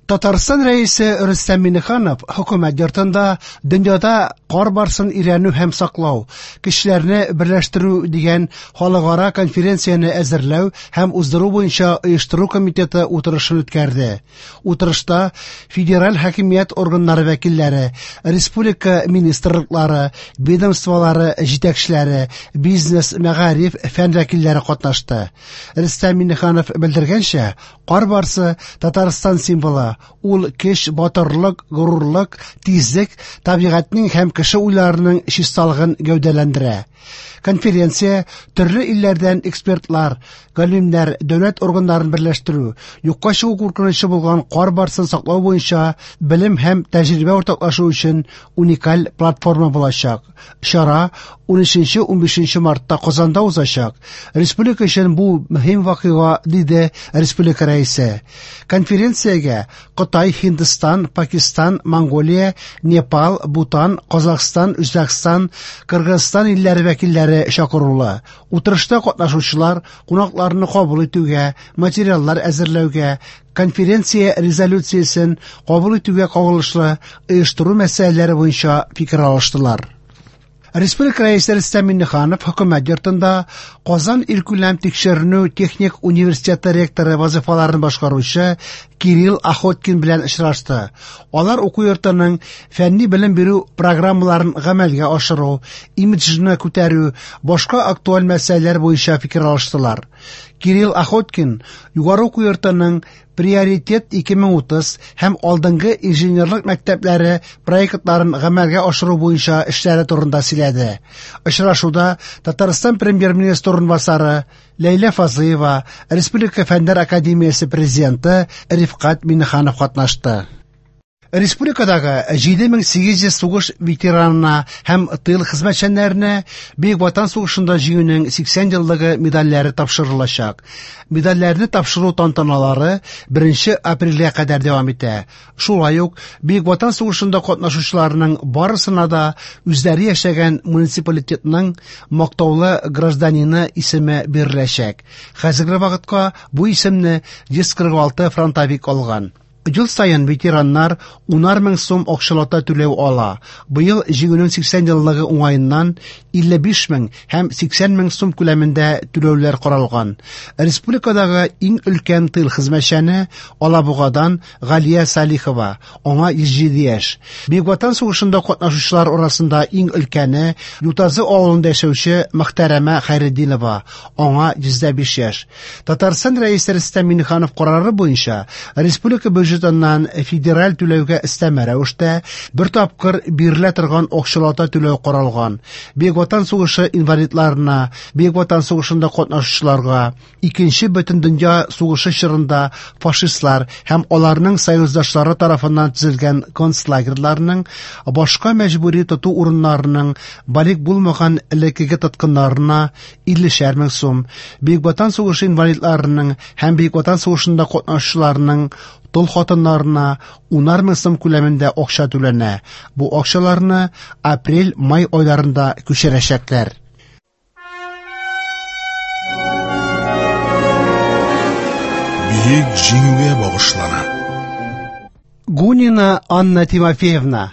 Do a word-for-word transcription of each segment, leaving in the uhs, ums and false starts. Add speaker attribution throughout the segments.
Speaker 1: Татарстан Рәисе Рөстәм Миңнеханов Хөкүмәт йортында дөньяда кар барсын өйрәнү һәм саклау, кешеләрне берләштерү дигән халыкара конференцияне әзерләү һәм уздыру буенча оештыру комитеты утырышын үткәрде. Утырышта федераль хакимият органнары вәкилләре, республика министрлыклары, ведомстволары җитәкчеләре, бизнес, мәгариф, фән вәкилләре катнашты. Рөстәм Миңнеханов белдергәнчә, кар барсы Татарстан символы. Ул көч, батырлык, горурлык, тизлек, табигатьнең һәм кеше уйларының чисталыгын гәүдәләндерә. Конференция төрле илләрдән экспертлар, галимнәр, дәүләт органнарын берләштерү, юкка чыгу куркынычы булган кар барсын саклау буенча белем һәм тәҗрибә уртаклашу өчен уникаль платформа булачак. Чара унөченче-унбишенче мартта Казанда узачак. Республика өчен бу мөһим вакыйга, диде республика рәисе. Конференциягә Кытай, Һиндстан, Пакистан, Монголия, Непал, Бутан, Казахстан, Үзбәкстан, Кыргызстан илләре вәкилләре чакырулы. Утырышта катнашучылар кунакларны кабул итүгә, материаллар әзерләүгә, конференция резолюциясен кабул итүгә кагылышлы оештыру мәсьәләләре буенча фикер алыштылар. Республика Рәисе Рөстәм Миңнеханов Хөкүмәт йортында Казан илкүләм тикшеренү техник университеты ректоры вазифаларын башкаручы Кирилл Охоткин белән очрашты. Алар уку йортының фәнни белем бирү программаларын гамәлгә ашыру, имиджны күтәрү, башка актуаль мәсьәләләр буенча фикер алыштылар. Кирилл Охоткин югары уку йортының Приоритет ике мең утыз һәм алдынгы инженерлык мәктәпләре проектларын гамәлгә ашыру буенча эшләре турында сөйләде. Очрашуда Татарстан премьер-министры урынбасары Ләйлә Фазлыева, Республика Фәннәр академиясе президенты Рифкать Миңнеханов катнашты. Республикадагы җиде мең сигез йөз сугыш ветеранына һәм тыл хезмәтчәннәренә Бөек Ватан сугышында җиңүнең сиксән еллыгы медальләре тапшырылачак. Медальләрне тапшыру тантаналары беренче апрельгә кадәр дәвам итә. Шулай ук Бөек Ватан сугышында катнашучыларның барысына да үзләре яшәгән муниципалитетның мактаулы гражданины исеме биреләчәк. Хәзерге вакытка бу исемне йөз кырык алты фронтовик алган. Ел саен ветераннар унар мең сум акчалата түләү ала. Быел җиңүнең сиксән еллыгы уңаеннан илле биш мең һәм сиксән мең сум күләмендә түләүләр каралган. Республикадагы иң өлкән тыл хезмәтчәне Алабугадан Галия Салихова, аңа йөз җиде яшь. Бөек Ватан сугышында катнашучылар арасында иң өлкәне Ютазы авылында яшәүче Мөхтәрәмә Хәйретдинова, аңа йөз дә биш яшь. Татарстан Рәисе Рөстәм Миңнеханов карары буенча республика бюджетыннан федераль түләүгә өстәмә рәвештә бер тапкыр бирелә торган акчалата түләү каралган. Бөек Ватан сугышы инвалидларына, Бөек Ватан сугышында катнашучыларга, Икенче Бөтендөнья сугышы чорында фашистлар һәм аларның союздашлары тарафыннан төзелгән концлагерьларның, башка мәҗбүри тоту урыннарының балигъ булмаган элеккеге тоткыннарына иллешәр мең сум, Бөек Ватан сугышы инвалидларының һәм Бөек Ватан сугышында катнашучыларның тол хатыннарына унар мең сум күләмендә акча түләнә. Бу акчаларны апрель-май айларында күчерәчәкләр.
Speaker 2: Бөек Җиңүгә багышлана.
Speaker 1: Гунина Анна Тимофеевна.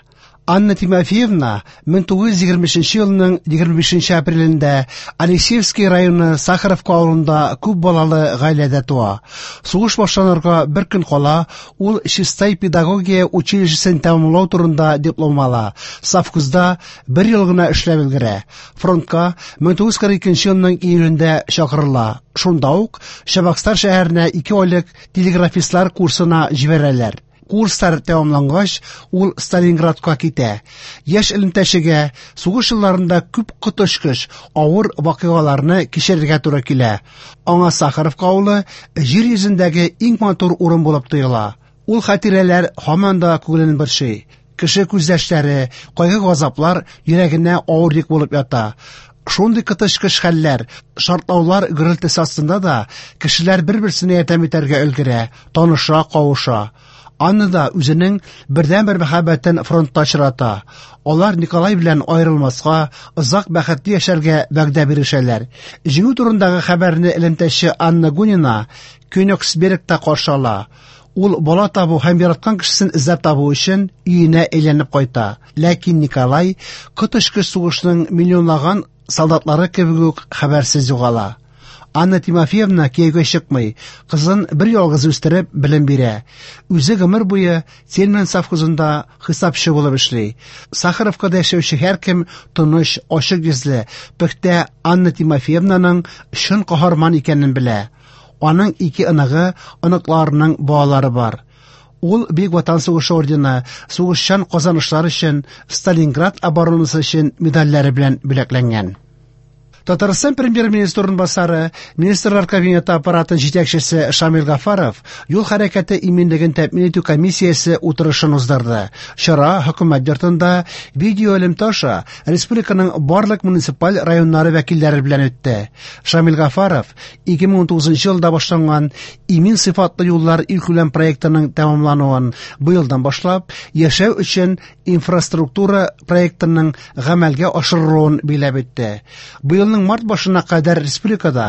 Speaker 1: Анна Тимофеевна мең тугыз йөз егерме өченче елның егерме бишенче апрелендә Алексеевский районы Сахаровка авылында күп балалы гаиләдә туа. Сугыш башланырга бер көн кала, ул Чистай педагогия училищесын тәмамлау турында диплом ала. Совхозда бер ел гына эшләп өлгерә. Фронтка мең тугыз йөз кырык икенче елның июлендә чакырыла. Шунда ук Чабаксар шәһәренә ике айлык телеграфистлар курсына җибәрәләр. Курслар тәмамлангач, ул Сталинградка китә. Яшь элемтәчегә сугыш елларында күп коточкыч авыр вакыйгаларны кичерергә туры килә. Аңа Сахаровка авылы җир йөзендәге иң матур урын булып тоела. Ул хатирәләр һаман да күңелен борчый. Кеше күз яшьләре, кайгы-газаплар йөрәгенә авыр йөк булып ята. Шундый коточкыч хәлләр, шартлаулар гөрелтесе астында да кешеләр бер-берсенә ярдәм итәргә өлгерә, таныша, кавыша. Анна да үзенең бердәнбер мәхәббәтен фронтта очрата. Алар Николай белән аерылмаска, озак бәхетле яшәргә вәгъдә бирешәләр. Җиңү турындагы хәбәрне элемтәче Анна Гунина Кёнигсбергта каршы ала. Ул бала табу һәм яраткан кешесен эзләп табу өчен өенә әйләнеп кайта. Ләкин Николай коточкыч сугышның миллионлаган солдатлары кебек үк хәбәрсез югала. Анна Тимофеевна кияүгә чыкмый, кызын бер ялгыз үстереп белем бирә. Үзе гомер буе Тельман совхозында хисапчы булып эшли. Сахаровкада яшәүче һәркем тыныч, ачык йөзле, пөхтә Анна Тимофеевнаның чын каһарман икәнен белә. Аның ике оныгы, оныкларының балалары бар. Ул Бөек Ватан сугышы ордены, сугышчан казанышлар өчен, Сталинград оборонасы өчен медальләре белән бүләкләнгән. Татарстан премьер-министры урынбасары, Министрлар Кабинеты аппараты җитәкчесе Шамил Гафаров юл хәрәкәте иминлеген тәэмин итү комиссиясе утырышын уздырды. Чара хөкүмәт йортында видеоэлемтә аша республиканың барлык муниципаль районнары вәкилләре белән үтте. Шамил Гафаров ике мең унтугызынчы елда башланган Имин сыйфатлы юллар илкүләм проектының тәмамлануын быелдан башлап яшәү өчен инфраструктура проектының гамәлгә ашырылуын билгеләп үтте. Быелның март башына кадәр республикада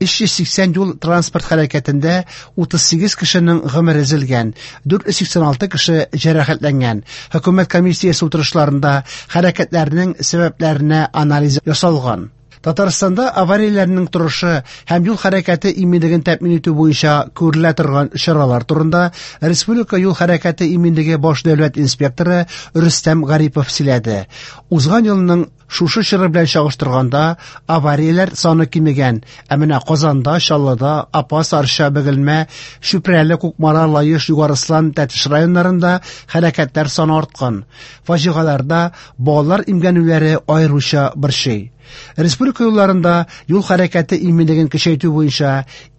Speaker 1: өч йөз сиксән юл транспорт хәрәкәтендә утыз сигез кешенең гомере өзелгән, дүрт йөз сиксән алты кеше җәрәхәтләнгән. Хөкүмәт комиссиясе утырышларында хәрәкәтләрнең сәбәпләренә анализ ясалган. Татарстанда аварияләрнең торышы һәм юл хәрәкәте иминлеген тәэмин итү буенча күрелә торган чаралар турында Республика юл хәрәкәте иминлеге баш дәүләт инспекторы Рөстәм Гарипов сөйләде. Узган елның шушы чоры белән чагыштырганда аварияләр саны кимегән. Ә менә Казанда, Чаллыда, Апас, Арча, Бөгелмә, Чүпрәле, Кукмара, Лаеш, Югарыслан, Тәтеш районнарында хәрәкәтләр саны арткан. Фаҗигаларда балалар имгәнүләре аеруча борчый. Республика юлларында юл хәрәкәте иминлеген көчәйтү буенча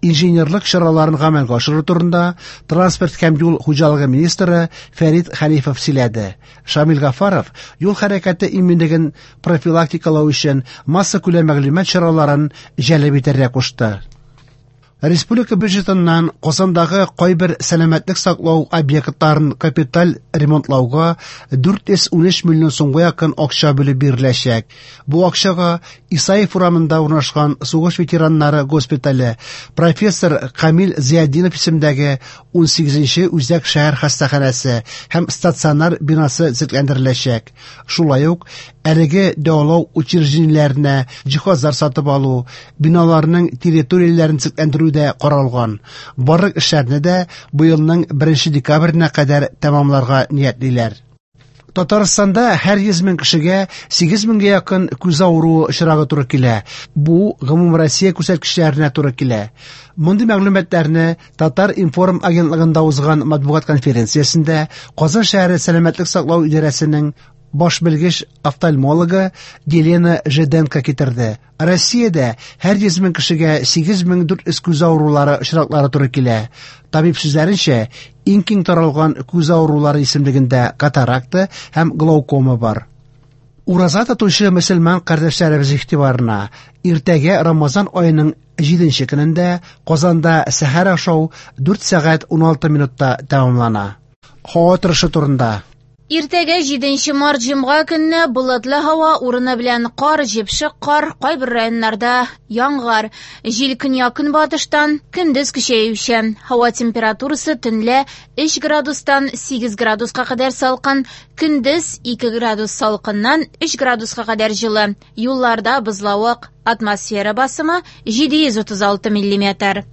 Speaker 1: инженерлык чараларын гамәлгә ашыру турында транспорт һәм юл хуҗалыгы министры Фәрит Хәлифов сөйләде. Шамил Гафаров юл хәрәкәте иминлеген профилактикалау өчен массакүләм мәгълүмат чараларын җәлеп итәргә кушты. Республика бюджетыннан Казандагы кайбер сәламәтлек саклау объектларын капиталь ремонтлауга дүрт йөз унөч миллион сумга якын акча бүлеп биреләчәк. Бу акчага Исаев урамында урнашкан сугыш ветераннары госпитале, профессор Камил Зиятдинов исемендәге унсигезенче үзәк шәһәр хастаханәсе һәм стационар бинасы төзекләндереләчәк. Шулай ук әлеге дәвалау учреждениеләренә җиһазлар сатып алу, биналарның территорияләрен төзекләндерү дә каралган. Барлык эшләрне дә быелның беренче декабренә кадәр тәмамларга ниятлиләр. Татарстанда һәр йөз мең кешегә сигез меңгә якын күз авыруы очрагы туры килә. Бу гомум Россия күрсәткечләренә туры килә. Мондый мәгълүматларны Татар-информ агентлыгында узган матбугат конференциясендә Казан шәһәре сәламәтлек саклау идарәсенең баш белгеч офтальмологы Елена Жиденко китерде. Россиядә һәр йөз мең кешегә сигез мең дүрт йөз күз авырулары очраклары туры килә. Табиб сүзләренчә, иң киң таралган күз авырулары исемлегендә катаракта һәм глаукома бар. Ураза тотучы мөселман кардәшләребез игътибарына, иртәгә Рамазан аеның җиденче көнендә Казанда сәхәр ашау дүрт сәгать уналты минутта тәмамлана. Һава торышы турында.
Speaker 3: Иртәгә җиденче март җомга көнне болытлы һава, урыны белән кар, җепшек кар, кайбер районнарда яңгыр. Җил көньяк-көнбатыштан, көндез көчәючән. Һава температурасы төнлә өч градустан сигез градуска кадәр салкын, көндез ике градус салкыннан өч градуска кадәр җылы. Юлларда бозлавык, атмосфера басымы җиде йөз утыз алты миллиметр.